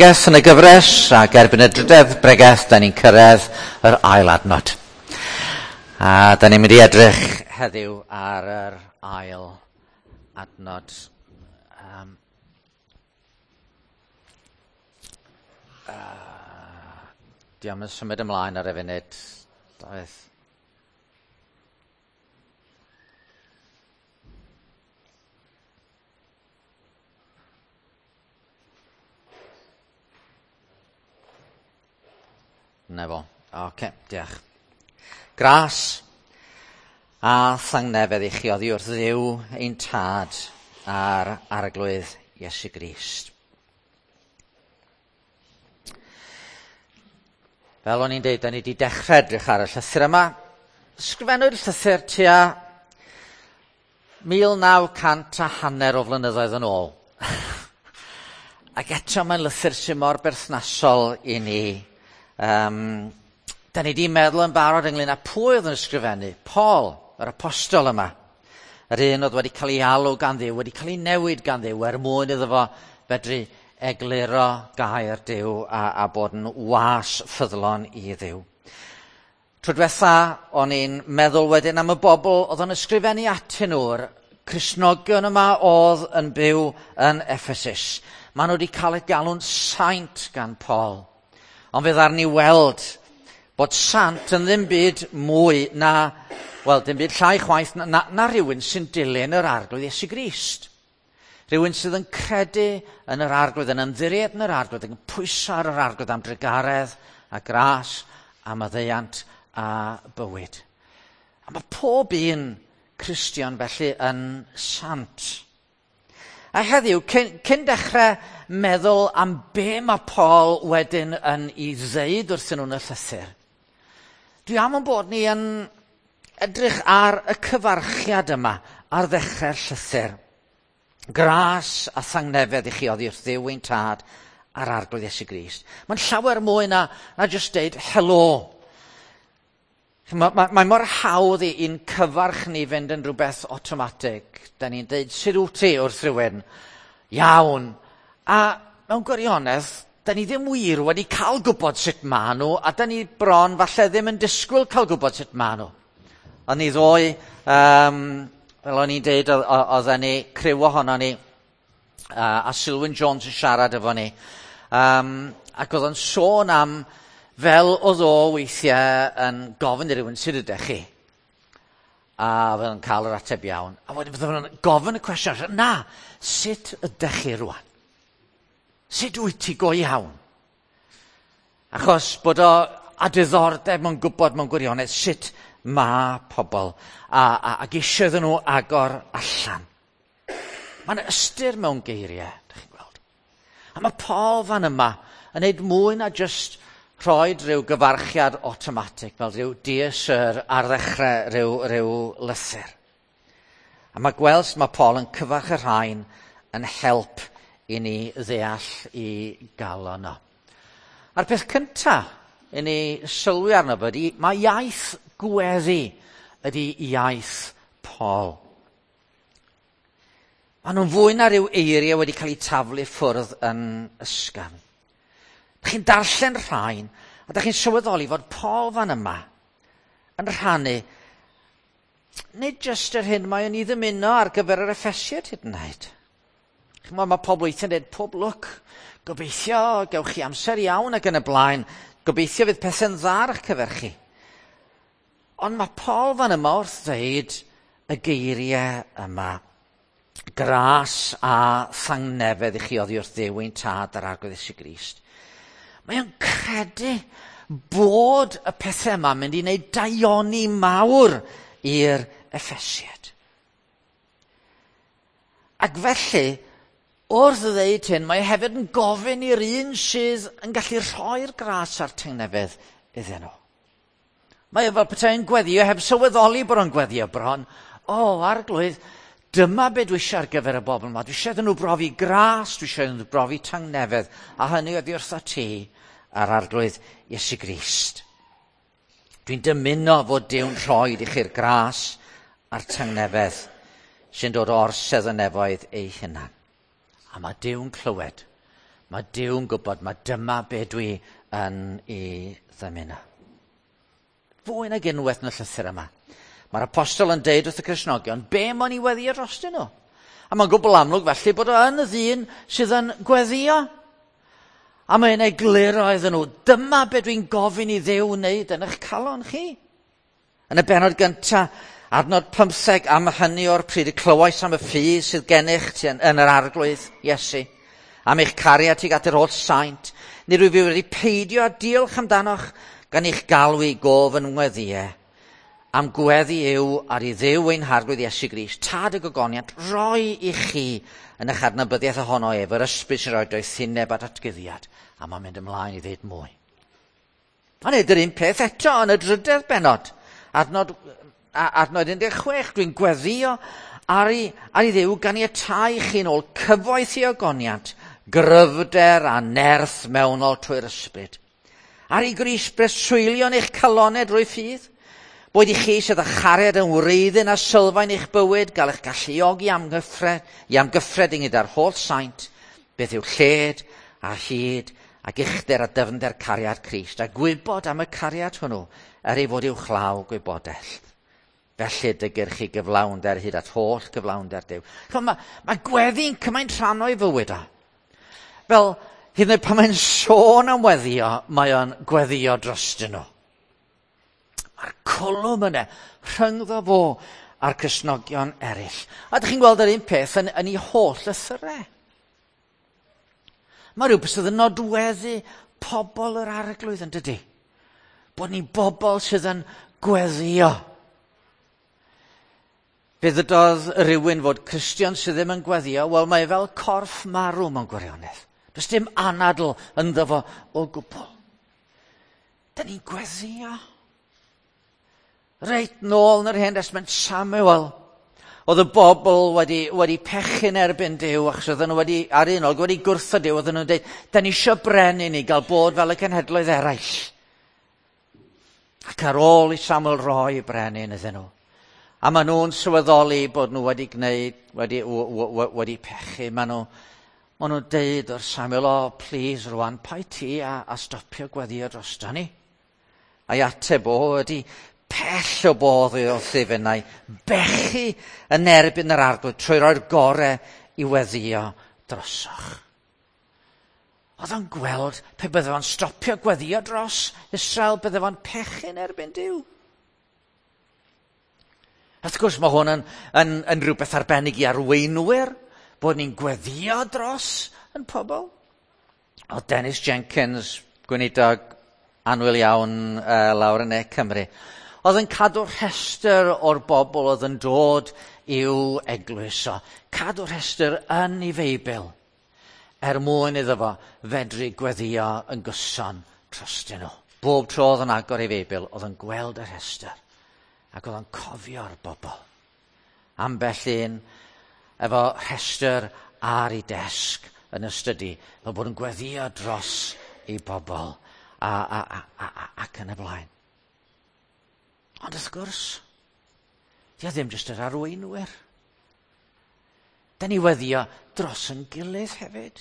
Bregeth yn y gyfres, ac erbyn y drydedd bregeth, da ni'n cyrraedd yr ail adnod. A da ni'n mynd i edrych heddiw ar yr ail adnod. Diolch yn symud ymlaen ar y funud. Doedd. Na fo. Oce, diolch. Gras a thangnefedd i chi oddi wrth Dduw ein Tad a'r Arglwydd Iesu Grist. Fel o'n i'n deud, da ni wedi dechrau edrych ar y llythyr yma. Sgrifennwyd llythyr tua 1900 a hanner o flynyddoedd yn ôl. Ac eto mae'n lythyr sy'n mor berthnasol i ni. Da ni wedi meddwl yn barod ynglyn â pwy oedd yn ysgrifennu. Paul, yr apostol yma. Yr un oedd wedi cael ei alw gan Dduw, wedi cael ei newid gan Dduw er mwyn iddo fo fedru egluro gair Duw a bod yn was ffyddlon i Dduw. Tro diwetha, o'n i'n meddwl wedyn am y bobl oedd yn ysgrifennu atyn nhw'r Cristnogion yma oedd yn byw yn Ephesus. Maen nhw wedi cael eu galw'n saint gan Paul. Ond fe ddaru ni weld bod sant yn ddim byd mwy na, wel, dim byd llai chwaith na rhywun sy'n dilyn yr Arglwydd Iesu Grist. Rhywun sydd yn credu yn yr Arglwydd, yn ymddiried yn yr Arglwydd, yn pwyso ar yr Arglwydd am drugaredd a gras a maddeuant a bywyd. A mae pob un Cristion felly yn sant. A heddiw, cyn dechrau meddwl am be mae Paul wedyn yn ei ddeud wrthyn nhw'n y llythyr, dwi am yn bod ni yn edrych ar y cyfarchiad yma ar ddechrau'r llythyr. Gras a thangnefedd i chi oddi wrth Dduw ein Tad a'r Arglwydd Iesu Grist. Mae'n llawer mwy na jyst deud helo. Mae mor hawdd i'n cyfarch ni fynd yn rhywbeth automatic. Da ni'n deud, sut wyt ti wrth rhywun? Iawn. A mewn gwirionedd, da ni ddim wir wedi cael gwybod sut maen nhw, a da ni bron falle ddim yn disgwyl cael gwybod sut maen nhw. O'n ni ddoe, fel o'n i'n deud, oedden ni, criw ohono ni, a Sylwyn Jones yn siarad efo ni, ac oedd o'n sôn am fel oedd o weithiau yn gofyn i rywun, sut ydych chi? A fel yn cael yr ateb iawn. A wedyn fydden nhw'n gofyn y cwestiwn, na, sut ydych chi rwan? Sut wyt ti go iawn? Achos bod o a diddordeb mewn gwybod mewn gwirionedd sut mae pobl ac eisiau iddyn nhw agor allan. Mae'n ystyr mewn geiriau, dych chi'n gweld. A mae Paul fan yma yn neud mwy na jyst rhoi rhyw gyfarchiad automatic fel rhyw dear sir ar ddechrau rhyw lythyr. A mae gweld sut mae Paul yn cyfarch y rhain yn help i ni ddeall i galon o. A'r peth cyntaf i ni sylwi arno fo ydy, mae iaith gweddi ydy iaith Paul. Maen nhw'n fwy na rhyw eiriau wedi cael eu taflu ffwrdd yn ysgafn. Dach chi'n darllen rhain, a dach chi'n sylweddoli fod Paul fan yma yn rhannu nid jyst yr hyn mae o'n ei ddymuno ar gyfer yr Effesiaid hyd yn oed. Chimod, mae pobl weithiau'n dweud, pob lwc, gobeithio gewch chi amser iawn ac yn y blaen, gobeithio fydd pethau'n dda ar eich cyfer chi. Ond mae Paul fan yma wrth ddeud y geiriau yma. Gras a thangnefedd i chi oddi wrth Dduw ein Tad a'r Arglwydd Iesu Grist. Mae o'n credu bod y pethau yma mynd i wneud daioni mawr i'r Effesiaid. Ac felly, wrth ddeud hyn, mae hefyd yn gofyn i'r un sydd yn gallu rhoi'r gras a'r tangnefedd iddyn nhw. Mae o fel petai'n gweddio heb sylweddoli bod o'n gweddio bron. O, Arglwydd, dyma be dwi eisiau ar gyfer y bobl yma. Dwi eisiau iddyn nhw brofi gras, dwi eisiau iddyn nhw brofi tangnefedd, a hynny oddi wrtho ti a'r Arglwydd Iesu Grist. Dwi'n dymuno fod Duw'n rhoi i chi'r gras a'r tangnefedd sy'n dod o'r sedd y nefoedd ei hunan. A mae Duw'n clywed. Mae Duw'n gwybod, mae dyma be dwi yn ei ddymuno. Fwy nag unwaith yn y llythyr yma. Mae'r apostol yn deud wrth y Cristnogion, be mae'n ei weddio drostyn nhw? A mae'n gwbl amlwg felly bod o yn y ddyn sydd yn gweddio. A mae'n egluro iddyn nhw, dyma be dwi'n gofyn i Dduw wneud yn eich calon chi. Yn y bennod gyntaf, adnod 15, am hynny o'r pryd y clywais am y ffydd sydd gennych ti yn yr arglwydd Iesu, am eich cariad tuag at yr holl saint, nid rwyf fi wedi peidio â diolch amdanoch gan eich galw i gof yn ngweddïau. Am gweddi yw ar i Dduw ein harglwydd Iesu Grist, tad y gogoniant, roi i chi yn eich adnabyddiaeth ohono ef, yr ysbryd sy'n rhoi doethineb a datguddiad. A mae'n mynd ymlaen i ddeud mwy. A nid yr un peth eto yn y drydedd bennod. Adnod 16, dwi'n gweddio ar i Dduw ganiatáu chi'n ôl cyfoeth i ogoniant, gryfder a nerth mewnol trwy'r ysbryd. Ar i Grist breswylio yn eich calonau drwy ffydd, boed i chi sydd â chariad yn wreiddyn a sylfaen eich bywyd, gael eich galluogi i amgyffred ynghyd â'r holl saint, beth yw lled a hyd ac uchder a dyfnder cariad Crist, a gwybod am y cariad hwnnw, er ei fod i'w chlaw gwybodaeth. Felly dygir chi gyflawnder hyd at holl gyflawnder Duw. Mae gweddi'n cymaint rhan o'i fywyd o. Fel, hyd yn oed pan mae'n sôn am weddio, mae o'n gweddio drostyn nhw. Mae'r cwlwm yna rhyngddo fo a'r Cristnogion eraill. A ydych chi'n gweld yr un peth yn ei holl lythyrau. Mae rhywbeth sydd yn nodweddu pobl yr arglwydd yn dydy. Bod ni'n bobl sydd yn gweddio. Fe ddydodd rhywun fod Cristion sydd ddim yn gweddio, wel mae fel corff marw mewn gwirionedd. Does dim anadl ynddo fo o gwbl. Da ni'n gweddio. Reit nôl yn yr Hen Destament, Samuel, oedd y bobl wedi pechu'n erbyn Duw, achos oedden nhw wedi, ar un olwg, wedi gwrthod Duw, oedden nhw'n dweud, da ni eisiau brenin i gael bod fel y cenhedloedd eraill. Ac ar ôl i Samuel roi brenin iddyn nhw, a maen nhw'n sylweddoli bod nhw wedi gwneud, wedi pechu, maen nhw'n deud wrth Samuel, o, please rwan, paid ti a stopio gweddio drosto ni. A'i ateb o ydy, pell o bodd i wrth finnau, bechu yn erbyn yr arglwydd trwy roi'r gorau i weddio drosoch. Oedd o'n gweld pe bydde fo'n stopio gweddio dros Israel, bydde fo'n pechu'n erbyn Duw. Wrth gwrs mae hwn yn rhywbeth arbennig i arweinwyr, bod ni'n gweddio dros yn pobl. Oedd Dennis Jenkins, gweinidog annwyl iawn lawr yn Ne Cymru, oedd yn cadw rhestr o'r bobl oedd yn dod i'w eglwys o. Cadw rhestr yn ei Feibl er mwyn iddo fo fedru gweddio yn gyson trostyn nhw. Bob tro oedd yn agor ei Feibl, oedd yn gweld y rhestr ac oedd yn cofio'r bobl. Ambell un efo rhestr ar ei desg yn y stydi, fel bod yn gweddio dros ei bobl ac yn y blaen. Ond wrth gwrs, di o ddim jyst yr arweinwyr. Da ni weddio dros yn gilydd hefyd.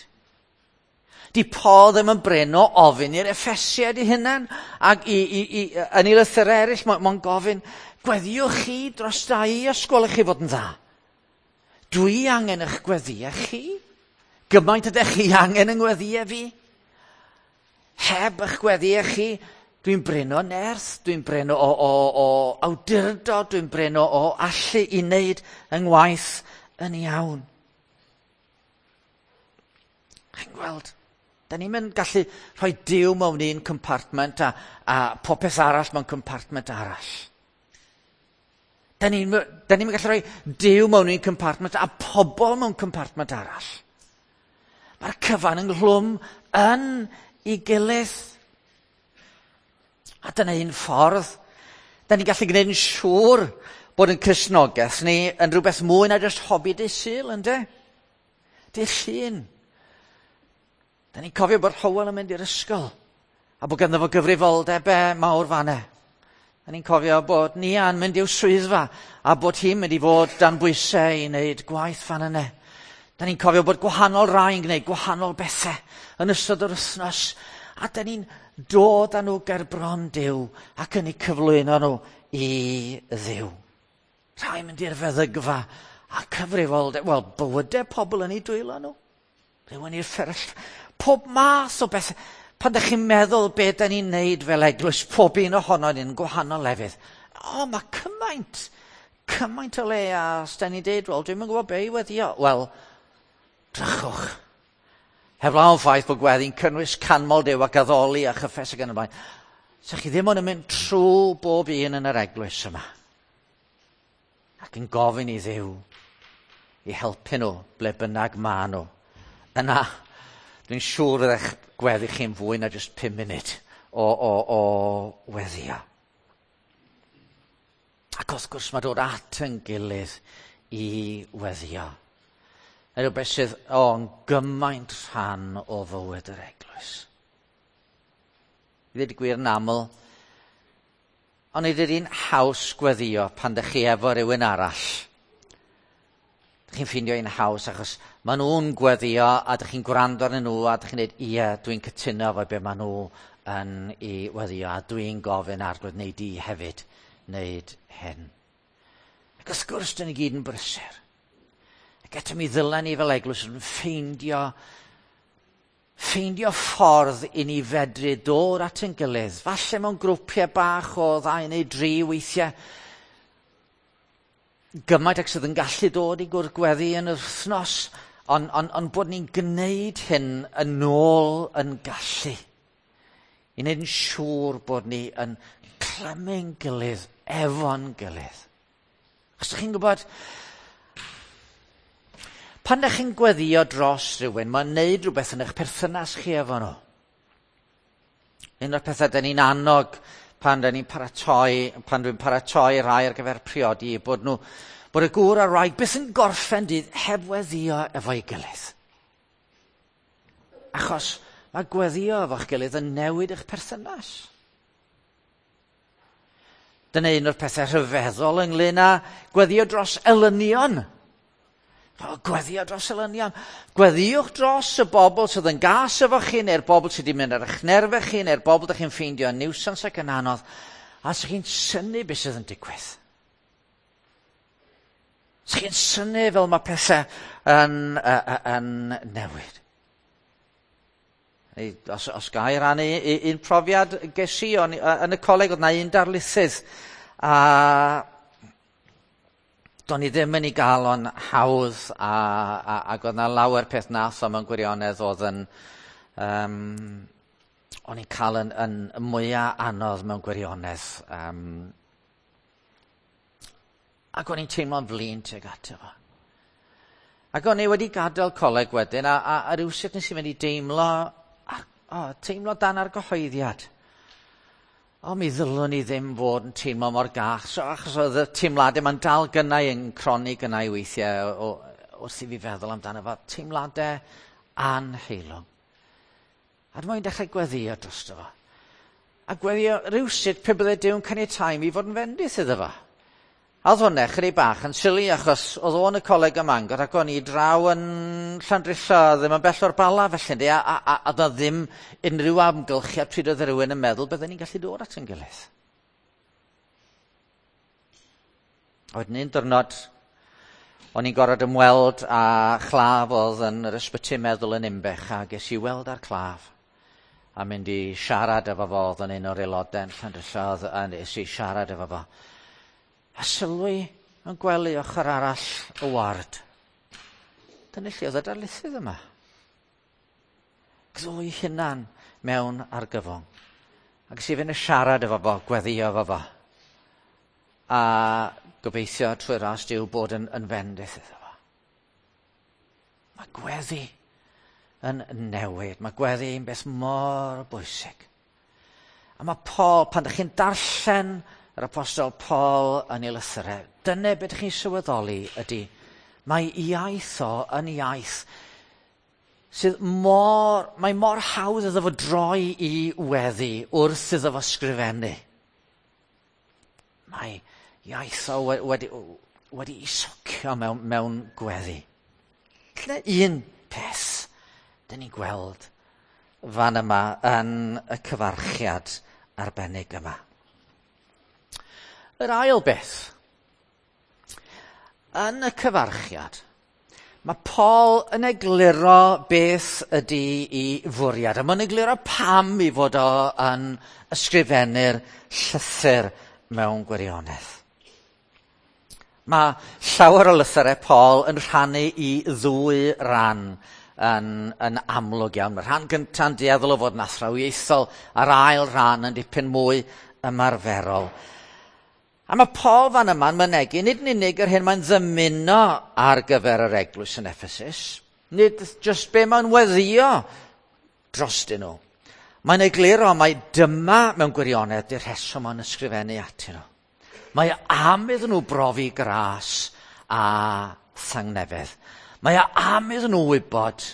Di Paul ddim yn brin o ofyn i'r Effesiaid ei hunan, ac yn ei lythyrau eraill, mae'n gofyn, gweddiwch chi dros da i os gwelwch chi fod yn dda. Dwi angen eich gweddiau chi. Gymaint ydych chi angen yng ngweddiau fi. Heb eich gweddiau chi, dwi'n brin o nerth, dwi'n brin o awdurdod, dwi'n brin o allu i wneud yng ngwaith yn iawn. Chi'n gweld, da ni'n mynd gallu rhoi Duw mewn un compartment a popeth arall mewn compartment arall. Da ni'n gallu rhoi Duw mewn un compartment a pobl mewn compartment arall. Mae'r cyfan ynghlwm yn ei gilydd. A dyna un ffordd. Da ni'n gallu gwneud yn siŵr bod yn Cristnogaeth ni yn rhywbeth mwy na jyst hobi dydd Sul, ynde? Dydd Llun. Da ni'n cofio bod Hywel yn mynd i'r ysgol a bod ganddo fo gyfrifoldebau mawr fan'na. Da ni'n cofio bod Nia'n mynd i'w swyddfa a bod hi'n mynd i fod dan bwysau i wneud gwaith fan yna. Da ni'n cofio bod gwahanol rai yn gwneud gwahanol bethau yn ystod yr wythnos. A da ni'n dod â nhw ger bron Duw ac yn eu cyflwyno nhw i Dduw. Rhai mynd i'r feddygfa a cyfrifoldeb, wel, bywydau pobl yn eu dwylo nhw. Rhywun i'r fferyll. Pob math o bethau. Pan ydych chi'n meddwl be da ni'n neud fel eglwys, pob un ohono ni'n gwahanol lefydd. O, mae cymaint, cymaint o le a os da ni'n deud, wel, dwi'm yn gwybod be i weddio. Wel, drychwch. Heblaw am ffaith bod gweddi'n cynnwys canmol Duw ac addoli a chyffes ac yn y blaen. Sa chi ddim ond yn mynd trwy bob un yn yr eglwys yma. Ac yn gofyn i Dduw i helpu nhw ble bynnag ma nhw. Yna, dwi'n siŵr fydd eich gweddi chi'n fwy na jyst 5 munud o weddio. Ac wrth gwrs mae dod at yn gilydd i weddio. Yn rhywbeth sydd o'n gymaint rhan o fywyd yr eglwys. I ddweud y gwir yn aml, ond nid ydy'n haws gweddio pan ydych chi efo rhywun arall. Dych chi'n ffeindio un haws achos maen nhw'n gweddio a dych chi'n gwrando arnyn nhw a dych chi'n dweud, ie, dwi'n cytuno efo be maen nhw yn ei weddio a dwi'n gofyn Arglwydd neu di hefyd wneud hyn. Ac wrth gwrs, dyn ni gyd yn brysur. Ac eto mi ddylen ni fel eglwys yn ffeindio ffordd i ni fedru dod at ein gilydd. Falle mewn grwpiau bach o 2 neu 3 weithiau. Gymaint ag sydd yn gallu dod i gwrdd gweddi yn yr wythnos, ond bod ni'n gwneud hyn yn ôl yn gallu. I wneud yn siŵr bod ni yn clymu'n gilydd efo'n gilydd. Os ydych chi'n gwybod, pan ydych chi'n gweddio dros rhywun, mae'n neud rhywbeth yn eich perthynas chi efo nhw. Un o'r pethau dyn ni'n annog pan dyn ni'n paratoi, pan dwi'n paratoi rhai ar gyfer priodi, bod nhw, bod y gŵr a'r wraig byth yn gorffen dydd heb weddio efo'i gilydd. Achos mae gweddio efo'ch gilydd yn newid eich perthynas. Dyna un o'r pethau rhyfeddol ynglyn â gweddio dros elynion. O, gweddio dros elynion. Gweddiwch dros y bobl sydd yn gas efo chi, neu'r bobl sydd wedi mynd ar eich nerfau chi, neu'r bobl ydych chi'n ffeindio yn niwsans ac yn anodd. A sa'ch chi'n synnu beth sydd yn digwydd. Sa'ch chi'n synnu fel mae pethau yn newid. Os ga i rannu un profiad ges i, yn y coleg oedd na un darlithydd, a do'n i ddim yn ei gael o'n hawdd, ac oedd na lawer peth nath o mewn gwirionedd oedd yn, o'n i'n cael yn mwyaf anodd mewn gwirionedd. Ac o'n i'n teimlo'n flin tuag ato fo. Ac o'n i wedi gadael coleg wedyn, a rywsut nes i fynd i deimlo, teimlo dan argyhoeddiad. O, mi ddylwn i ddim fod yn teimlo mor gas, achos oedd y teimladau ma'n dal gynnau yn cronni gynnau weithiau wrth i fi feddwl amdano fo, teimladau anheilwng. A dyma i'n dechrau gweddio drosto fo. A gweddio rywsut pe bydde Duw'n caniatáu mi fod yn fendith iddo fo. A oedd hwnna chydig bach yn sili, achos oedd o'n y coleg ym Mangor ac o'n i draw yn Llandrillo, ddim yn bell o'r Bala felly, a oedd ddim unrhyw amgylchiad pryd oedd rhywun yn meddwl bydden ni'n gallu dod at ein gilydd. A wedyn un diwrnod, o'n i'n gorfod ymweld â chlaf oedd yn yr ysbyty meddwl yn Nimbech, a ges i weld â'r claf a mynd i siarad efo fo, oedd yn un o'r aelodau yn Llandrillo, a nes i siarad efo fo. A sylwi yn gwely ochr arall y ward. Dyna lle oedd y darlithydd yma. Ddwy hunan mewn argyfwng. Ac es i fynd y siarad efo fo, gweddio efo fo. A gobeithio trwy ras Duw bod yn fendith iddo fo. Mae gweddi yn newid. Mae gweddi yn beth mor bwysig. A mae Paul, pan ydych chi'n darllen yr apostol Paul yn ei lythyrau, dyna beth ydych chi'n sylweddoli ydy, mae iaith o yn iaith sydd mor, mae mor hawdd iddo fo droi i weddi wrth iddo fo sgrifennu. Mae iaith o wedi ei socio mewn gweddi. Dyna un peth dyn ni'n gweld fan yma yn y cyfarchiad arbennig yma. Yr ail beth, yn y cyfarchiad, mae Paul yn egluro beth ydy ei fwriad, a mae'n egluro pam ei fod o yn ysgrifennu'r llythyr mewn gwirionedd. Mae llawer o lythyrau Paul yn rhannu i ddwy ran yn amlwg iawn. Mae'r rhan gyntaf yn dueddol o fod yn athrawiaethol, a'r ail rhan yn dipyn mwy ymarferol. A mae Paul fan yma'n mynegi nid yn unig yr hyn mae'n ddymuno ar gyfer yr eglwys yn Ephesus, nid jyst be mae'n weddio drostyn nhw. Mae'n egluro mai dyma mewn gwirionedd di'r rheswm mae'n ysgrifennu atyn nhw. Mae am iddyn nhw brofi gras a thangnefedd. Mae am iddyn nhw wybod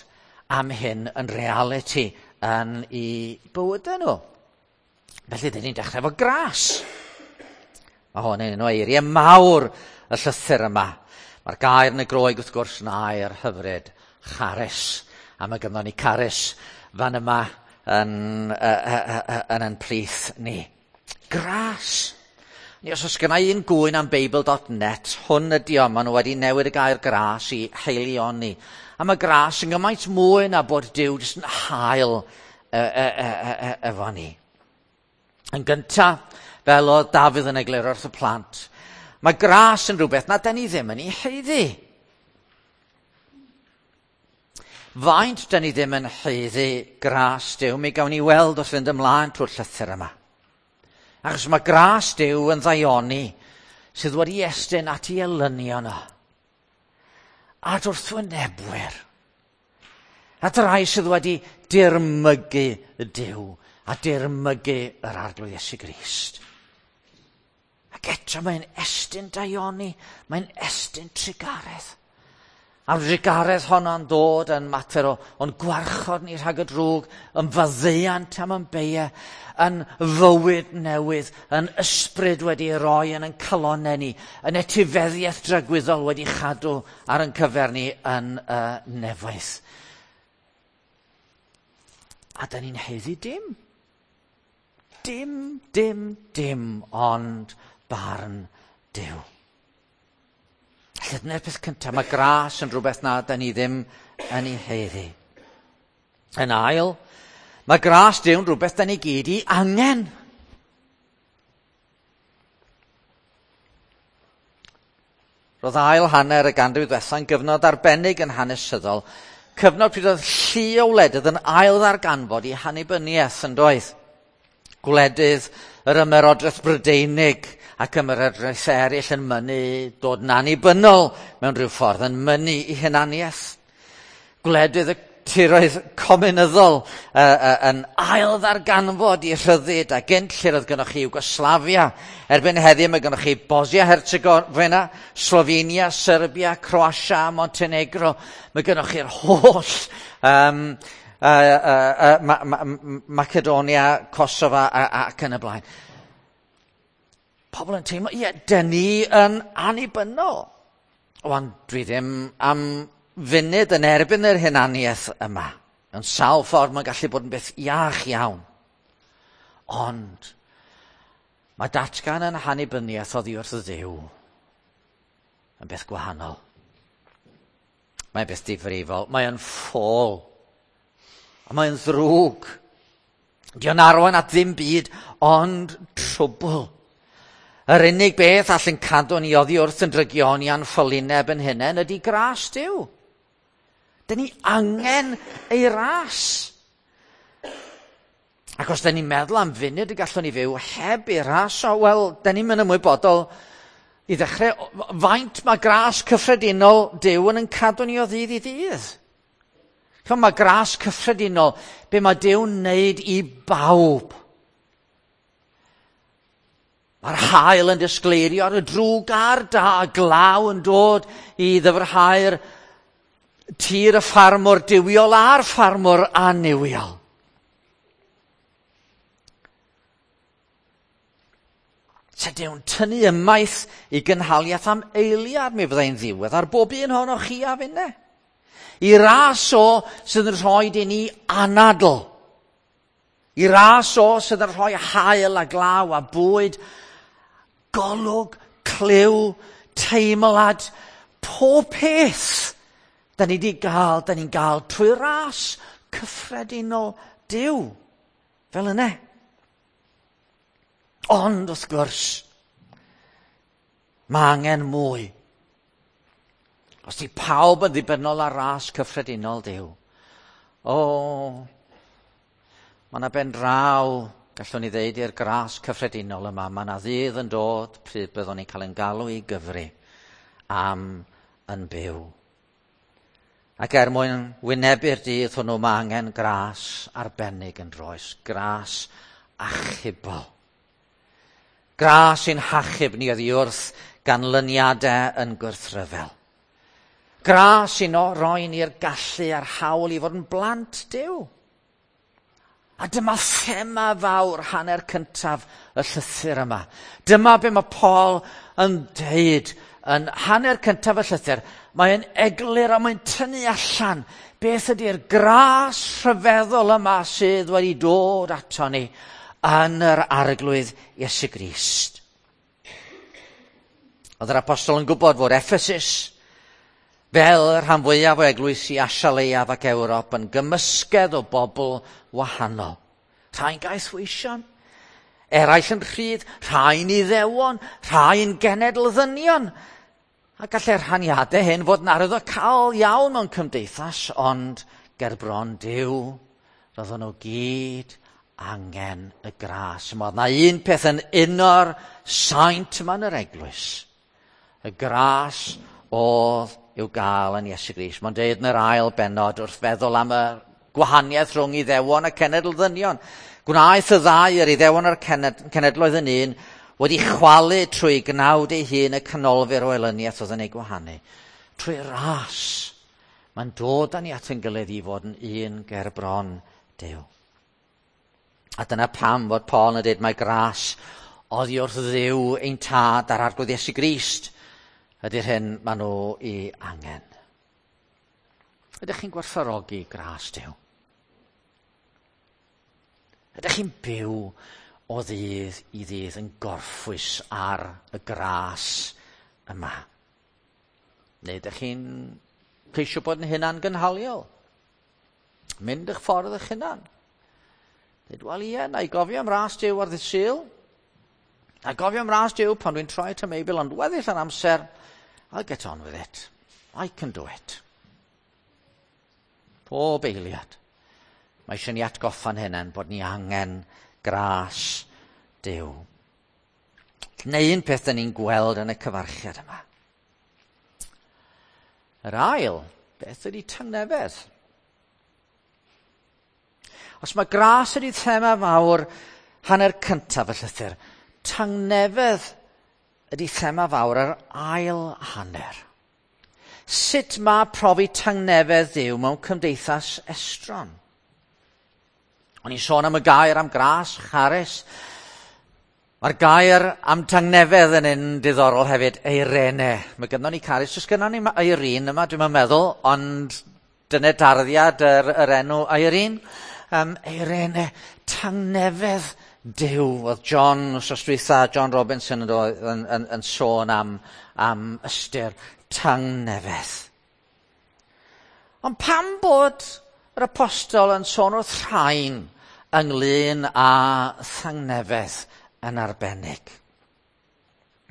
am hyn yn realiti yn eu bywydau nhw. Felly, dyn ni'n dechrau efo gras. Mae hwn yn un o eiriau mawr y llythyr yma. Mae'r gair yn y Groeg wrth gwrs yn air hyfryd, charis. A mae gynnon ni caris fan yma yn plith ni. Gras. Ni os oes gynna i un gŵyn am Beibl.net, hwn ydi o, maen nhw wedi newid y gair gras i haelioni. A mae gras yn gymaint mwy na bod Duw jyst yn hael efo ni. Yn gyntaf, fel oedd Dafydd yn egluro wrth y plant, mae gras yn rhywbeth na da ni ddim yn ei haeddu. Faint da ni ddim yn haeddu gras Duw, mi gawn ni weld wrth fynd ymlaen trwy'r llythyr yma. Achos mae gras Duw yn ddaioni sydd wedi estyn at ei elynion o. At wrthwynebwyr. At rai sydd wedi dirmygu Duw a dirmygu yr Arglwydd Iesu Grist. Ac eto mae'n estyn daioni, mae'n estyn trugaredd. A'r drugaredd honno'n dod yn mater o'n gwarchod ni rhag y drwg, yn faddeuant am yn beiau, yn fywyd newydd, yn ysbryd wedi ei roi yn ein calonnau ni, yn etifeddiaeth dragwyddol wedi chadw ar ein cyfer ni yn y nefoedd. A da ni'n haeddu dim. Dim, dim, dim, ond barn Duw. Felly dyna'r peth cyntaf, mae gras yn rhywbeth na da ni ddim yn ei haeddu. Yn ail, mae gras Duw yn rhywbeth da ni gyd i angen. Roedd ail hanner y ganrif ddwetha yn gyfnod arbennig yn hanesyddol, cyfnod pryd oedd llu o wledydd yn ail ddarganfod i hannibyniaeth yn doedd. Gwledydd yr ymerodraeth Brydeinig ac ymerodraeth eraill yn mynnu dod yn annibynnol mewn rhyw ffordd, yn mynnu i hunaniaeth. Gwledydd y tiroedd cominyddol yn ail ddarganfod i rhyddid, a gynt lle roedd gynnoch chi Iwgoslavia. Erbyn heddiw mae gynnoch chi Bosnia-Herzegovina, Slovenia, Serbia, Croatia, Montenegro. Mae gynnoch chi'r holl Macedonia, Kosovo ac yn y blaen. Pobl yn teimlo, ie, dyn ni yn annibynnol. Wan, dwi ddim am funud yn erbyn yr hunaniaeth yma. Yn sawl ffordd mae'n gallu bod yn beth iach iawn. Ond mae datgan yn hannibyniaeth oddi wrth Dduw yn beth gwahanol. Mae'n beth difrifol, mae'n ffôl, a mae'n ddrwg. Dio'n arwain at ddim byd ond trwbl. Yr unig beth all yn cadw ni oddi wrth yn drygioni a'n ffolineb yn hunain ydy gras Duw. Dyn ni angen ei ras. Ac os dyn ni'n meddwl am funud y gallwn ni fyw heb ei ras, o, wel, dyn ni'n mynd ymwybodol i ddechrau faint mae gras cyffredinol Duw yn cadw ni o ddydd i ddydd. Ch'mo, mae gras cyffredinol, be mae Duw'n wneud i bawb. Mae'r haul yn disgleirio ar y drwg a'r da, glaw yn dod i ddyfrhau'r tir y ffarmwr duwiol a'r ffarmwr annuwiol. Se Duw'n tynnu ymaith i gynhaliaeth am eiliad, mi fyddai'n ddiwedd ar bob un ohonoch chi a finne. I ras o sydd yn rhoi i ni anadl. I ras o sydd yn rhoi haul a glaw a bwyd, golwg, clyw, teimlad, pob peth da ni wedi gael, da ni'n gael trwy ras cyffredinol Duw. Fel yna. Ond, wrth gwrs, mae angen mwy. Os di pawb yn ddibynnol ar ras cyffredinol Duw, o, mae yna ben draw, gallwn ni ddeud i'r gras cyffredinol yma, mae yna ddydd yn dod pryd byddwn ni'n cael ein galw i gyfri am yn byw. Ac er mwyn wynebu'r dydd hwnnw, mae angen gras arbennig yn roes, gras achubol. Gras sy'n hachub ni oddi wrth ganlyniadau yn gwrthryfel. Gras sy'n roi ni'r gallu a'r hawl i fod yn blant Duw. A dyma thema fawr hanner cyntaf y llythyr yma. Dyma be mae Paul yn deud yn hanner cyntaf y llythyr. Mae'n eglur a mae'n tynnu allan beth ydy'r gras rhyfeddol yma sydd wedi dod ato ni yn yr Arglwydd Iesu Grist. Oedd yr apostol yn gwybod fod Ephesus, fel y rhan fwyaf o eglwysi Asia Leiaf ac Ewrop, yn gymysgedd o bobl wahanol. Rhai'n gaethweision, eraill yn rhydd, rhai'n iddewon, rhai'n genedl ddynion. A gallai'r rhaniadau hyn fod yn arwyddocaol iawn mewn cymdeithas, ond gerbron Duw, roedden nhw gyd angen y gras. Mae yna un peth yn uno'r saint yma yn yr eglwys. Y gras oedd i'w gael yn Iesu Grist. Mae'n deud yn yr ail bennod wrth feddwl am y gwahaniaeth rhwng Iddewon a cenedl ddynion. Gwnaeth y ddau, yr Iddewon a'r cenedloedd yn un, wedi chwalu trwy gnawd ei hun y canolfur o elyniaeth oedd yn ei gwahanu. Trwy ras, mae'n dod â ni at ein gilydd i fod yn un ger bron Duw. A dyna pam fod Paul yn dweud mae gras oddi wrth Dduw ein tad a'r Arglwydd Iesu Grist ydy'r hyn maen nhw i angen. Ydych chi'n gwerthfawrogi gras Duw? Ydych chi'n byw o ddydd i ddydd yn gorffwys ar y gras yma? Neu ydych chi'n ceisio bod yn hunan gynhaliol? Mynd eich ffordd eich hunan? Dweud, wel ie, na i gofio am ras Duw ar ddydd Sul. Na i gofio am ras Duw pan dwi'n troi at y Meibl, ond weddill yr amser, I'll get on with it. I can do it. Pob eiliad. Mae eisiau ni atgoffa'n hunain bod ni angen gras Duw. Neu un peth dyn ni'n gweld yn y cyfarchiad yma. Yr ail, beth ydy tangnefedd? Os mae gras ydy thema fawr hanner cyntaf y llythyr, tangnefedd ydy thema fawr yr ail hanner. Sut mae profi tangnefedd Duw mewn cymdeithas estron? O'n i'n sôn am y gair am gras, charis. Mae'r gair am tangnefedd yn un diddorol hefyd, eirene. Mae gynnon ni caris, oes gynnon ni Irene yma, dwi'n meddwl, ond dyna darddiad yr enw Irene. Eirene, tangnefedd Duw. Oedd John, wrth dwytha, John Robinson yn sôn am ystyr tangnefedd. Ond pam bod yr apostol yn sôn wrth rhain ynglyn â thangnefedd yn arbennig?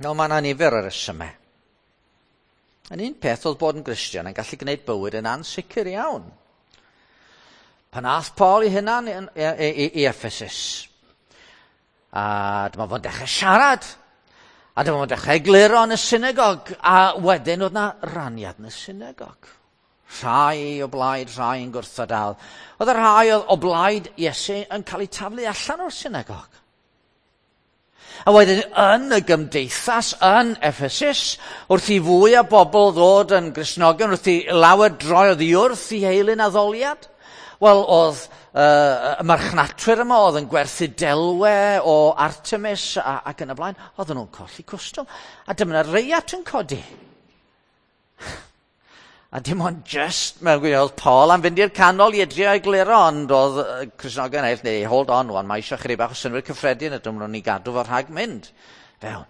No, mae yna nifer o resymau. Yn un peth oedd bod yn Gristion yn gallu gwneud bywyd yn ansicr iawn. Pan ath Paul i hunan i Ephesus, a dyma fo'n dechrau siarad, a dyma fo'n dechrau egluro yn y synagog, a wedyn oedd na raniad yn y synagog. Rhai o blaid, rhai yn gwrthod dal. Oedd y rhai o blaid Iesu yn cael eu taflu allan o'r synagog. A wedyn yn y gymdeithas yn Ephesus, wrth i fwy o bobl ddod yn Gristnogion, wrth i lawer droi oddi wrth i heilyn addoliad, wel, oedd y marchnatwyr yma oedd yn gwerthu delwe o Artemis ac yn y blaen, oedden nhw'n colli cwstwm. A dyma 'na reiat yn codi. A dim ond just mewn gwirionedd oedd Paul am fynd i'r canol i edrych egluro, ond oedd Cristnogion eraill, neu hold on wan, mae eisiau chydig bach o synnwyr cyffredin a dyma nhw'n ni gadw fo rhag mynd fewn.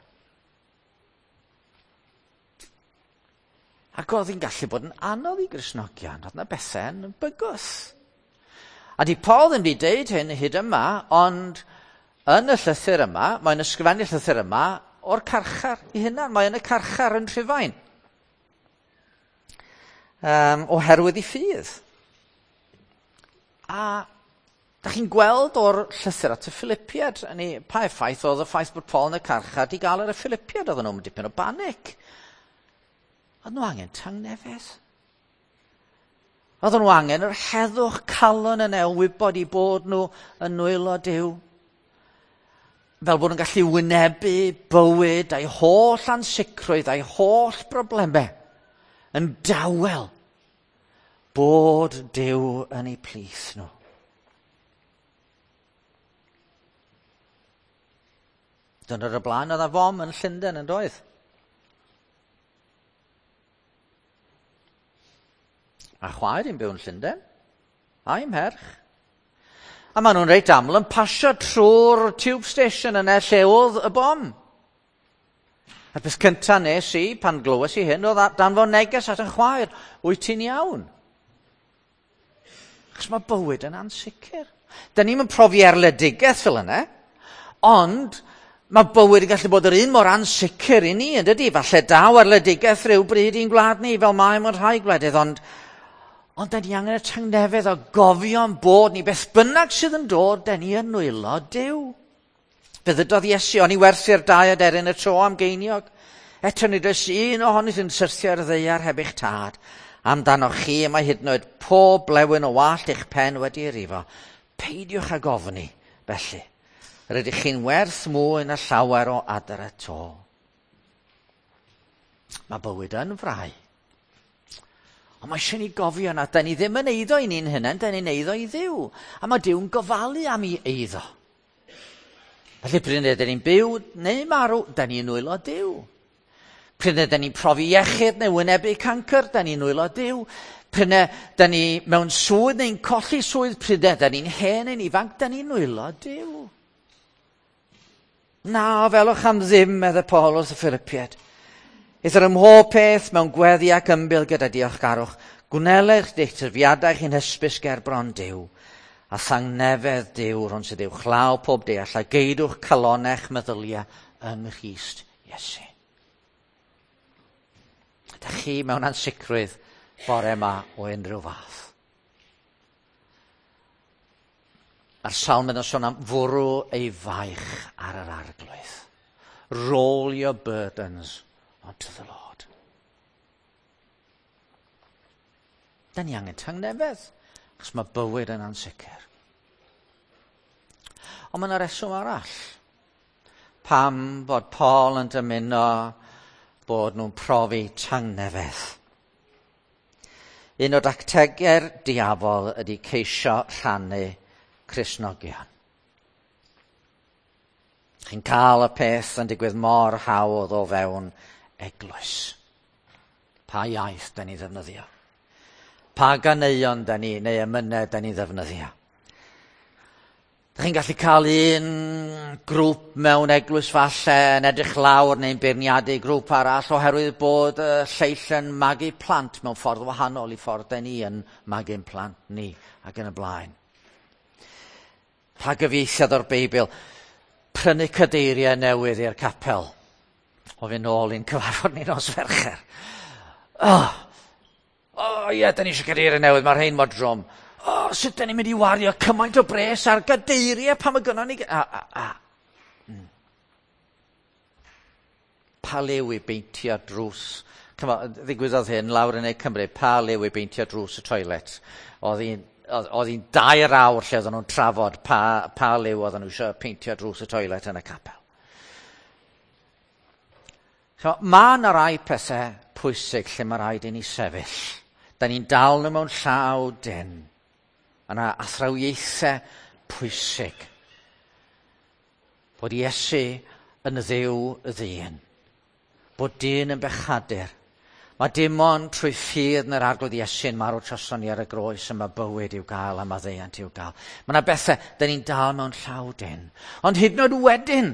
Ac oedd hi'n gallu bod yn anodd i Gristnogion, oedd yna bethau yn bygwth. A di Paul ddim wedi deud hyn hyd yma, ond yn y llythyr yma, mae'n ysgrifennu'r llythyr yma o'r carchar i hunan. Mae yn y carchar yn Rhufain. Oherwydd ei ffydd. A da chi'n gweld o'r llythyr at y Philippiad, pa effaith oedd y ffaith bod Paul yn y carchar di gael ar y Philippiad, oedden nhw'n dipyn o banic. Oedd nhw angen tangnefedd. Oedden nhw angen yr heddwch calon yna o wybod i bod nhw yn nwylo Duw. Fel bod nhw'n gallu wynebu bywyd a'i holl ansicrwydd a'i holl broblemau yn dawel bod Duw yn eu plith nhw. Dyna'r y blaen oedd a fom yn Llundain yn doedd. A chwaer i'n byw yn Llundain, a'i mherch. A maen nhw'n reit aml yn pasio trwy'r tube station yna lle oedd y bom. A'r peth cyntaf nes i, pan glywes i hyn, oedd danfon neges at yn chwaer, wyt ti'n iawn? Achos mae bywyd yn ansicr. Da ni'm yn profi erledigaeth fel yna, ond mae bywyd yn gallu bod yr un mor ansicr i ni, yn dydi? Falle daw erledigaeth rhyw bryd i'n gwlad ni, fel mae mewn rhai gwledydd, ond da ni angen y tangnefedd o gofio'n bod ni, beth bynnag sydd yn dod, da ni yn nwylo Duw. Fe ddydodd Iesu, o'n i werthu'r dau aderyn y tro am geiniog. Eto nid oes un ohonynt yn syrthio ar y ddaear heb eich tad. Amdanoch chi y mae hyd yn oed pob blewyn o wallt eich pen wedi ei rifo. Peidiwch ag ofni, felly. Rydych chi'n werth mwy na llawer o adar y to. Mae bywyd yn frau. Ond mae eisiau ni gofio na, da ni ddim yn eiddo i ni'n hunain, da ni'n eiddo i Dduw. A mae Duw'n gofalu am ei eiddo. Felly pryd ydyn ni'n byw neu marw, da ni'n nwylo Duw. Pryd ydyn ni'n profi iechyd neu wynebu cancr, da ni'n nwylo Duw. Pryd ydyn ni mewn swydd neu'n colli swydd, pryd ydyn ni'n hen neu'n ifanc, da ni'n nwylo Duw. Na, felwch am ddim, medde Paul wrth y Philippiaid. Eithr ym mhob peth mewn gweddi ac ymbil gyda diolchgarwch, gwnelech eich tyfiadau chi'n hysbys ger bron Duw, a thangnefedd Duw rhwng sydd uwchlaw pob deall, a geidwch calonech meddyliau yng Nghrist Iesu. Ydych chi mewn ansicrwydd bore yma o unrhyw fath? Mae'r salm yn sôn am fwrw ei faich ar yr arglwydd. Roll your burdens onto the Lord. Da ni angen tangnefedd, achos mae bywyd yn ansicr. Ond mae yna reswm arall. Pam bod Paul yn dymuno bod nhw'n profi tangnefedd. Un o dactegau'r diafol ydy ceisio rhannu Cristnogion. Chi'n cael y peth yn digwydd mor hawdd o fewn eglwys. Pa iaith da ni ddefnyddio? Pa ganeuon da ni, neu emynau da ni ddefnyddio? Da chi'n gallu cael un grŵp mewn eglwys falle yn edrych lawr neu'n beirniadu grŵp arall oherwydd bod y lleill yn magu plant mewn ffordd wahanol i ffordd da ni yn magu'n plant ni ac yn y blaen. Pa gyfieithiad o'r Beibl? Prynu cadeiriau newydd i'r capel. O fynd nôl i'n cyfarfod ni nos Fercher. O ie, da ni eisiau cadeiriau newydd, mae'r rhain mor drwm. O, sut da ni'n mynd i wario cymaint o bres ar gadeiriau pan mae gynnon ni... Pa liw i beintio drws? Ddigwyddodd hyn lawr yn ei Cymru, pa liw i beintio drws y toilet? Oedd hi'n 2 awr lle oedden nhw'n trafod pa liw oedden nhw eisiau peintio drws y toilet yn y capel. So, mae yna rai pethau pwysig lle mae rhaid i ni sefyll. Da ni'n dal nhw mewn llaw dyn. Mae yna athrawiaethau pwysig. Bod Iesu yn Dduw y ddyn. Bod dyn yn bechadur. Mae dim ond trwy ffydd yn yr Arglwydd Iesu'n marw troson ni ar y groes y mae bywyd i'w gael a maddeuant i'w gael. Mae yna bethau dyn ni'n dal mewn llaw dyn. Ond hyd yn oed wedyn,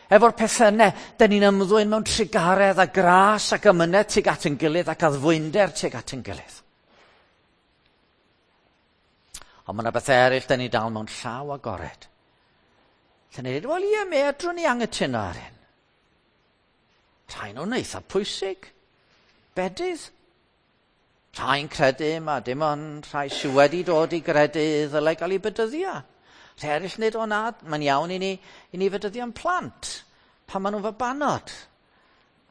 efo'r pethau yna, dyn ni'n ymddwyn mewn trugaredd a gras ac amynedd tuag at yn gilydd ac addfwynder tuag at yn gilydd. Ond mae yna bethau eraill dyn ni dal mewn llaw agored. Lle ni'n dweud, wel ie, medrwn ni anghytuno ar hyn. Rhai nhw'n eitha pwysig. Bedydd. Rhai'n credu ma dim ond rhai sydd wedi dod i gredu ddylai gael ei bedyddio. Rhai eraill nid o na, mae'n iawn i ni fedyddio'n plant pan maen nhw'n fabanod.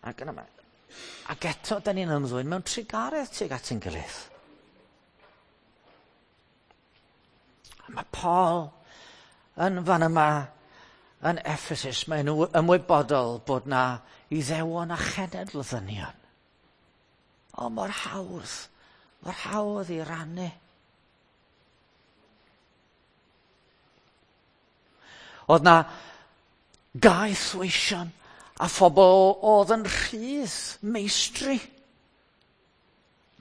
Ac, yna, ac eto, da ni'n ymddwyn mewn trugaredd tuag at ein gilydd. A mae Paul yn fan yma yn Ephesus, mae'n ymwybodol bod na Iddewon a chenedl ddynion. O, mor hawdd i rannu. Oedd na gaethweision a phobl oedd yn rhydd meistri.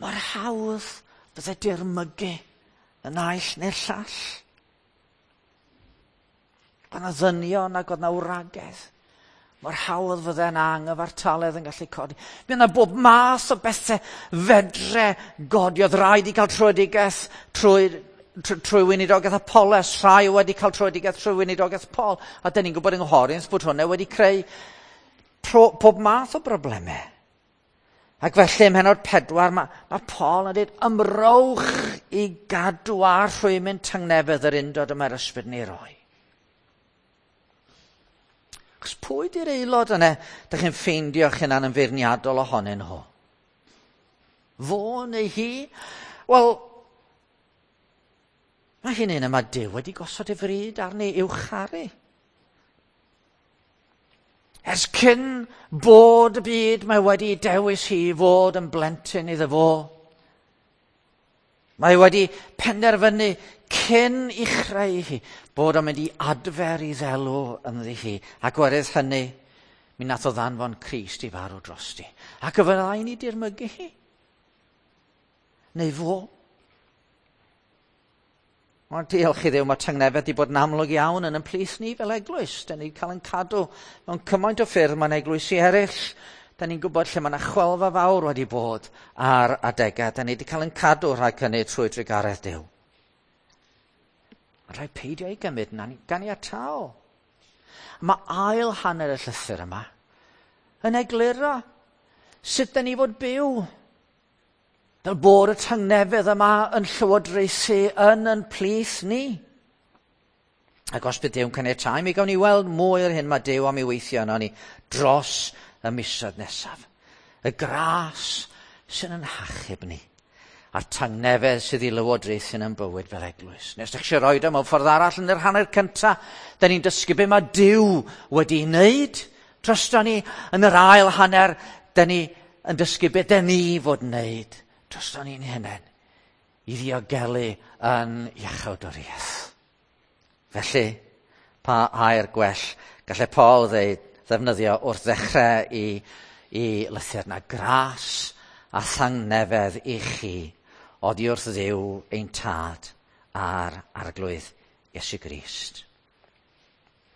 Mor hawdd fydde dirmygu y naill neu'r llall. Oedd na ddynion ac oedd na wragedd. Mor hawdd fydde yna anghyfartaledd yn gallu codi. Mi yna bob math o bethau fedre godi. Oedd rhaid i gael tröedigaeth trwy weinidogaeth Apollos. Rhai wedi cael tröedigaeth trwy weinidogaeth Paul. A dyn ni'n gwybod yng Nghorinth bod hwnna wedi creu pob math o broblemau. Ac felly ym mhennod 4 mae Paul yn dweud ymrowch i gadw a rhwymyn tangnefedd yr undod y mae'r ysbryd ni roi. Achos pwy di'r aelod yna dych chi'n ffeindio'ch hunan yn feirniadol ohonyn nhw? Fo neu hi? Wel, mae hi'n un yma Duw wedi gosod ei fryd arni i'w charu. Ers cyn bod y byd, mae wedi dewis hi fod yn blentyn iddo fo. Mae wedi penderfynu cyn i chreu hi bod o'n mynd i adfer i ddelw ynddi hi. Ac oherwydd hynny, mi nath o ddanfon Crist i farw drosti. Ac y fyddai ni dirmygu hi. Neu fo. Ond diolch i Dduw, mae tangnefedd wedi bod yn amlwg iawn yn ein plith ni fel eglwys. Da ni'n cael ein cadw mewn cymaint o ffyrdd mae'n eglwysi eraill. Da ni'n gwybod lle mae yna chwelfa fawr wedi bod ar adegau. Da ni wedi cael ein cadw rhag hynny trwy drugaredd Duw. Mae'n rhaid peidio ei gymryd yn ganiataol. Mae ail hanner y llythyr yma yn egluro sut da ni fod byw. Fel bod y tangnefedd yma yn llywodraethu yn plith ni. Ac os bydd Duw'n caniatáu, mi gawn ni weld mwy o'r hyn mae Duw am ei weithio yno ni dros y misoedd nesaf. Y gras sy'n yn hachub ni, a'r tangnefedd sydd i lywodraethu yn bywyd fel eglwys. Nes ydych chi eisiau rhoi o mewn ffordd arall yn yr hanner cyntaf, da ni'n dysgu be mae Duw wedi wneud drosto ni. Yn yr ail hanner, da ni yn dysgu be da ni fod wneud drosto ni'n hunain i ddiogelu yn iachawdwriaeth. Felly, pa air gwell gallai Paul ddefnyddio wrth ddechrau i lythyr na gras a thangnefedd i chi oddi wrth Dduw ein Tad a'r Arglwydd Iesu Grist.